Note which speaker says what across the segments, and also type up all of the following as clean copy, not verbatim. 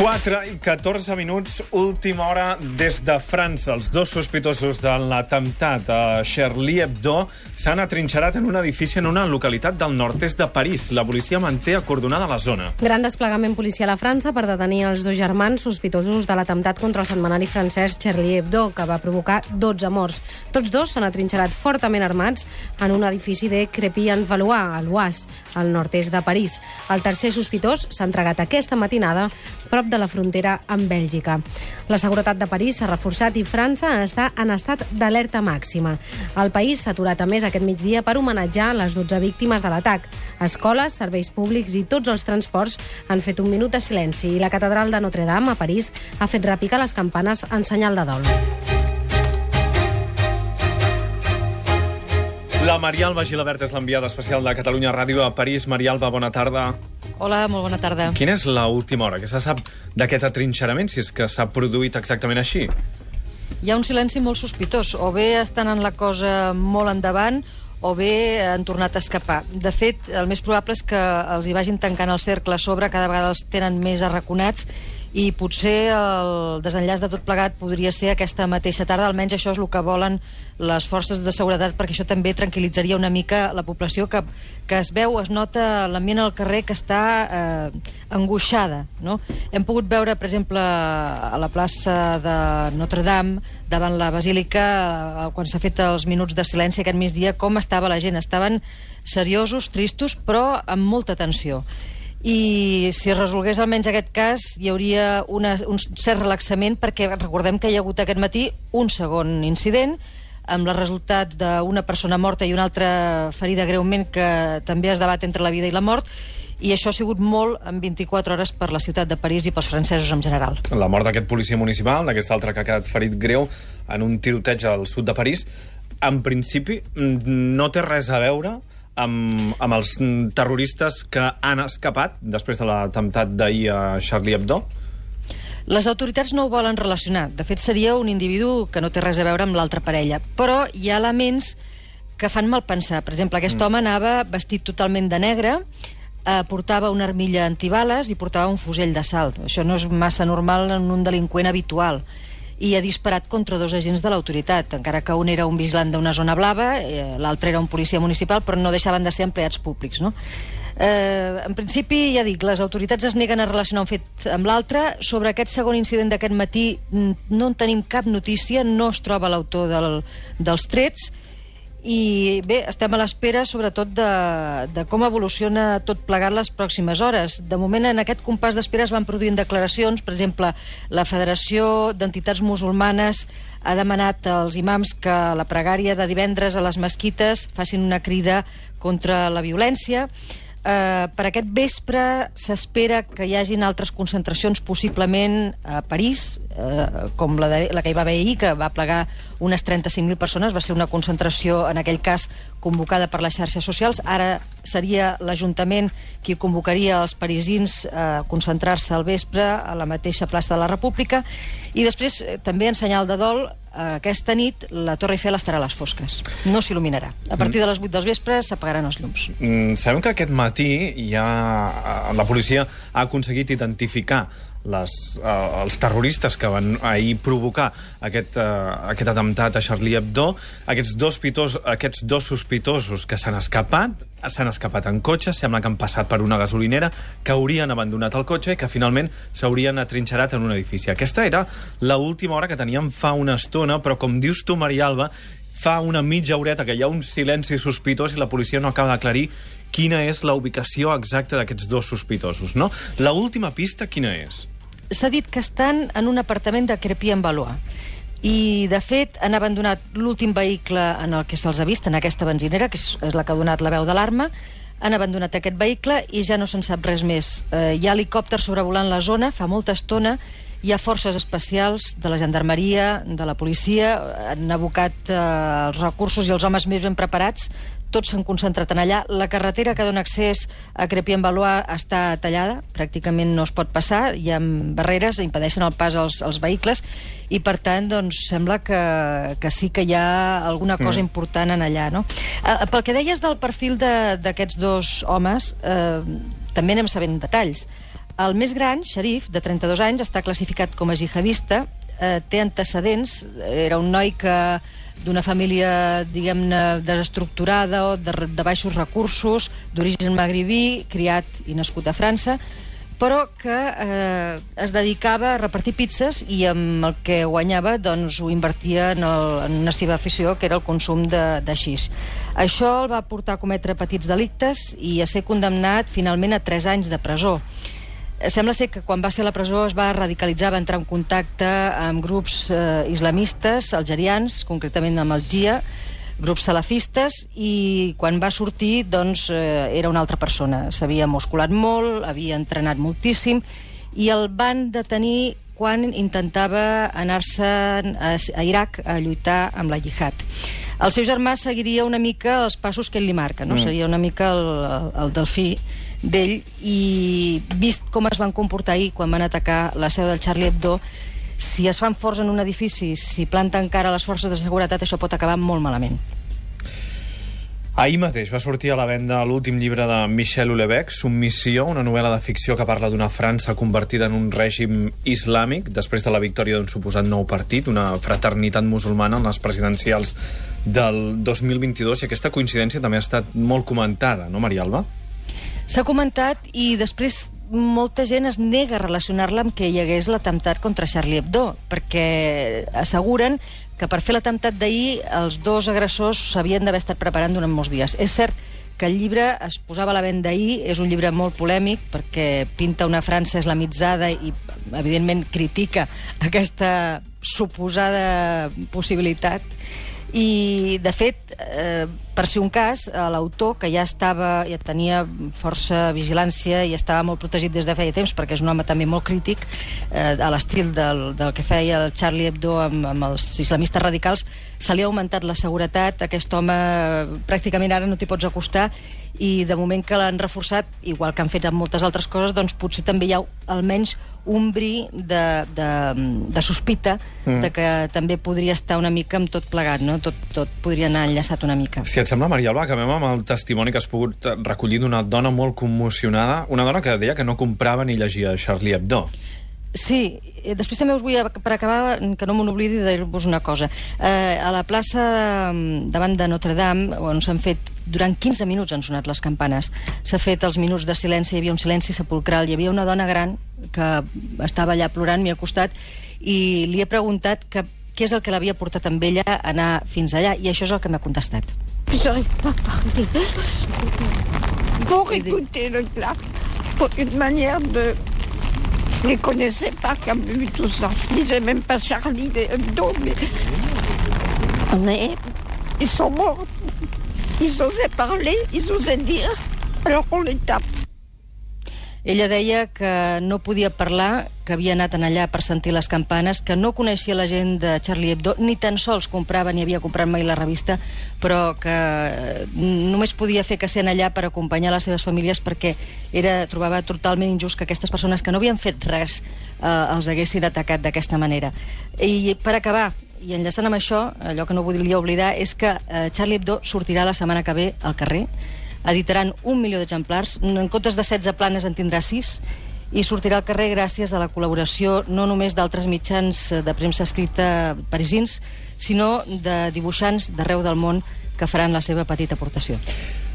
Speaker 1: 4:14, última hora des de França. Els dos sospitosos de l'atemptat a Charlie Hebdo s'han atrinxerat en un edifici en una localitat del nord-est de París. La policia manté acordonada la zona.
Speaker 2: Gran desplegament policial a França per detenir els dos germans sospitosos de l'atemptat contra el setmanari francès Charlie Hebdo, que va provocar 12 morts. Tots dos s'han atrinxerat fortament armats en un edifici de Crépy-en-Valois, a l'Oise, al nord-est de París. El tercer sospitós s'ha entregat aquesta matinada prop de la frontera amb Bèlgica. La seguretat de París s'ha reforçat i França està en estat d'alerta màxima. El país s'ha aturat a més aquest migdia per homenatjar les 12 víctimes de l'atac. Escoles, serveis públics i tots els transports han fet un minut de silenci i la catedral de Notre-Dame, a París, ha fet repicar les campanes en senyal de dol.
Speaker 1: La Marialba Gilabert és l'enviada especial de Catalunya Ràdio a París. Marialba, bona tarda.
Speaker 3: Hola, molt bona tarda.
Speaker 1: Quina és l'última hora que se sap d'aquest atrinxerament, si és que s'ha produït exactament així?
Speaker 3: Hi ha un silenci molt sospitós. O bé estan en la cosa molt endavant o bé han tornat a escapar. De fet, el més probable és que els hi vagin tancant el cercle a sobre, cada vegada els tenen més arraconats i potser el desenllaç de tot plegat podria ser aquesta mateixa tarda, almenys això és el que volen les forces de seguretat, perquè això també tranquil·litzaria una mica la població que es veu, es nota l'ambient al carrer que està angoixada, no? Hem pogut veure, per exemple, a la plaça de Notre-Dame, davant la basílica, quan s'ha fet els minuts de silenci aquest migdia, com estava la gent. Estaven seriosos, tristos, però amb molta tensió. I si es resolgués almenys aquest cas hi hauria un cert relaxament, perquè recordem que hi ha hagut aquest matí un segon incident amb el resultat d'una persona morta i una altra ferida greument, que també es debat entre la vida i la mort, i això ha sigut molt en 24 hores per la ciutat de París i pels francesos en general.
Speaker 1: La mort d'aquest policia municipal, d'aquest altre que ha quedat ferit greu en un tiroteig al sud de París, en principi no té res a veure amb els terroristes que han escapat després de l'atemptat d'ahir a Charlie Hebdo?
Speaker 3: Les autoritats no ho volen relacionar. De fet, seria un individu que no té res a veure amb l'altra parella. Però hi ha elements que fan mal pensar. Per exemple, aquest home anava vestit totalment de negre, portava una armilla antibales i portava un fusell d'assalt. Això no és massa normal en un delinqüent habitual. I ha disparat contra dos agents de l'autoritat, encara que un era un vigilant d'una zona blava, l'altre era un policia municipal, però no deixaven de ser empleats públics, no? En principi, ja dic, les autoritats es neguen a relacionar un fet amb l'altre. Sobre aquest segon incident d'aquest matí no en tenim cap notícia, no es troba l'autor dels trets, i bé, estem a l'espera sobretot de com evoluciona tot plegat les pròximes hores. De moment, en aquest compàs d'espera es van produint declaracions. Per exemple, la Federació d'Entitats Musulmanes ha demanat als imams que a la pregària de divendres a les mesquites facin una crida contra la violència. Per aquest vespre s'espera que hi hagin altres concentracions, possiblement a París, com la que hi va haver ahir, que va plegar unes 35.000 persones. Va ser una concentració, en aquell cas, convocada per les xarxes socials. Ara seria l'Ajuntament qui convocaria els parisins a concentrar-se al vespre a la mateixa plaça de la República. I després, també en senyal de dol, aquesta nit la Torre Eiffel estarà a les fosques. No s'il·luminarà. A partir de les 8 del vespre s'apagaran els llums.
Speaker 1: Sabem que aquest matí la policia ha aconseguit identificar els terroristes que van ahir provocar aquest atemptat a Charlie Hebdo. Aquests dos sospitosos que s'han escapat en cotxe, sembla que han passat per una gasolinera, que haurien abandonat el cotxe i que finalment s'haurien atrinxerat en un edifici. Aquesta era l'última hora que teníem fa una estona, però com dius tu, Marialba, fa una mitja horeta que hi ha un silenci sospitós i la policia no acaba d'aclarir quina és la ubicació exacta d'aquests dos sospitosos, no? L'última pista quina és?
Speaker 3: S'ha dit que estan en un apartament de Crépy-en-Valois i, de fet, han abandonat l'últim vehicle en el que se'ls ha vist, en aquesta benzinera, que és la que ha donat la veu d'alarma. Han abandonat aquest vehicle i ja no se'n sap res més. Hi ha helicòpters sobrevolant la zona fa molta estona. Hi ha forces especials de la gendarmeria, de la policia, han abocat els recursos i els homes més ben preparats. Tots s'han concentrat en allà. La carretera que dona accés a Crépy-en-Valois està tallada, pràcticament no es pot passar, hi ha barreres que impedeixen el pas als vehicles i, per tant, doncs, sembla que sí que hi ha alguna cosa important en allà, no? Pel que deies del perfil d'aquests dos homes, també anem sabent detalls. El més gran, Sharif, de 32 anys, està classificat com a jihadista, té antecedents, era un noi que d'una família, diguem-ne, desestructurada o de baixos recursos, d'origen magribí, criat i nascut a França, però que es dedicava a repartir pizzas i amb el que guanyava doncs, ho invertia en una seva afició, que era el consum de xix. Això el va portar a cometre petits delictes i a ser condemnat finalment a 3 anys de presó. Sembla ser que quan va ser a la presó es va radicalitzar, va entrar en contacte amb grups islamistes algerians, concretament amb el GIA, grups salafistes, i quan va sortir doncs, era una altra persona. S'havia musculat molt, havia entrenat moltíssim, i el van detenir quan intentava anar-se a Iraq a lluitar amb la jihad. El seu germà seguiria una mica els passos que ell li marca, no? Seria una mica el delfí d'ell, i vist com es van comportar ahir quan van atacar la seu del Charlie Hebdo, si es fan forts en un edifici, si planten cara a les forces de seguretat, això pot acabar molt malament.
Speaker 1: Ahir mateix va sortir a la venda l'últim llibre de Michel Houellebecq, Submissió, una novel·la de ficció que parla d'una França convertida en un règim islàmic després de la victòria d'un suposat nou partit, una fraternitat musulmana en les presidencials del 2022, i aquesta coincidència també ha estat molt comentada, no, Maria Alba?
Speaker 3: S'ha comentat, i després molta gent es nega a relacionar-la amb que hi hagués l'atemptat contra Charlie Hebdo, perquè asseguren que per fer l'atemptat d'ahir els dos agressors s'havien d'haver estat preparant durant molts dies. És cert que el llibre es posava a la venda ahir, és un llibre molt polèmic perquè pinta una França islamitzada i, evidentment, critica aquesta suposada possibilitat. I, de fet, per si un cas, l'autor, que ja tenia força vigilància i estava molt protegit des de feia temps, perquè és un home també molt crític, a l'estil del que feia el Charlie Hebdo amb els islamistes radicals, se li ha augmentat la seguretat. Aquest home pràcticament ara no t'hi pots acostar, i de moment que l'han reforçat, igual que han fet amb moltes altres coses, doncs potser també hi ha almenys un bri de sospita de que també podria estar una mica amb tot plegat, no? Tot podria anar enllaçat una mica.
Speaker 1: Si et sembla, Maria Alba, acabem amb el testimoni que has pogut recollir d'una dona molt commocionada, una dona que deia que no comprava ni llegia Charlie Hebdo.
Speaker 3: Sí, després també us vull, per acabar, que no me n'oblidi de dir-vos una cosa. A la plaça davant de Notre Dame, on s'han fet, durant 15 minuts han sonat les campanes, s'ha fet els minuts de silenci, hi havia un silenci sepulcral, hi havia una dona gran que estava allà plorant, m'hi ha costat, i li he preguntat què és el que l'havia portat amb ella a anar fins allà, i això és el que m'ha contestat.
Speaker 4: J'arrive pas à parler. Pour écouter le clap, pour une manière de... Je ne les connaissais pas qui avaient vu tout ça. Je ne disais même pas Charlie Hebdo, mais ils sont morts. Ils osaient parler, ils osaient dire, alors on les tape.
Speaker 3: Ella deia que no podia parlar, que havia anat allà per sentir les campanes, que no coneixia la gent de Charlie Hebdo, ni tan sols comprava ni havia comprat mai la revista, però que només podia fer que ser allà per acompanyar les seves famílies, perquè trobava totalment injust que aquestes persones que no havien fet res els haguessin atacat d'aquesta manera. I per acabar, i enllaçant amb això, allò que no volia oblidar és que Charlie Hebdo sortirà la setmana que ve al carrer. Editaran 1 milió d'exemplars, en comptes de 16 planes en tindrà 6, i sortirà al carrer gràcies a la col·laboració no només d'altres mitjans de premsa escrita parisins, sinó de dibuixants d'arreu del món que faran la seva petita aportació.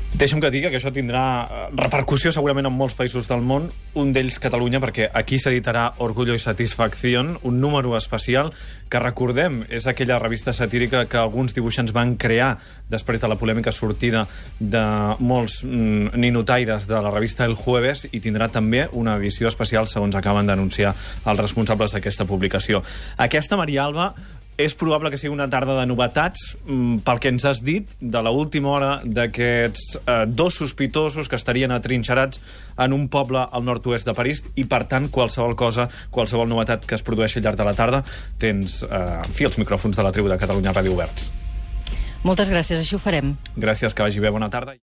Speaker 1: Deixa'm que digui que això tindrà repercussió segurament en molts països del món, un d'ells Catalunya, perquè aquí s'editarà Orgullo y Satisfacción, un número especial que, recordem, és aquella revista satírica que alguns dibuixants van crear després de la polèmica sortida de molts ninotaires de la revista El Jueves, i tindrà també una edició especial, segons acaben d'anunciar els responsables d'aquesta publicació. Aquesta, Maria Alba, és probable que sigui una tarda de novetats, pel que ens has dit, de l'última hora d'aquests dos sospitosos que estarien atrinxerats en un poble al nord-oest de París, i, per tant, qualsevol cosa, qualsevol novetat que es produeixi al llarg de la tarda, tens, els micròfons de la tribu de Catalunya Ràdio oberts.
Speaker 3: Moltes gràcies, així ho farem.
Speaker 1: Gràcies, que vagi bé, bona tarda.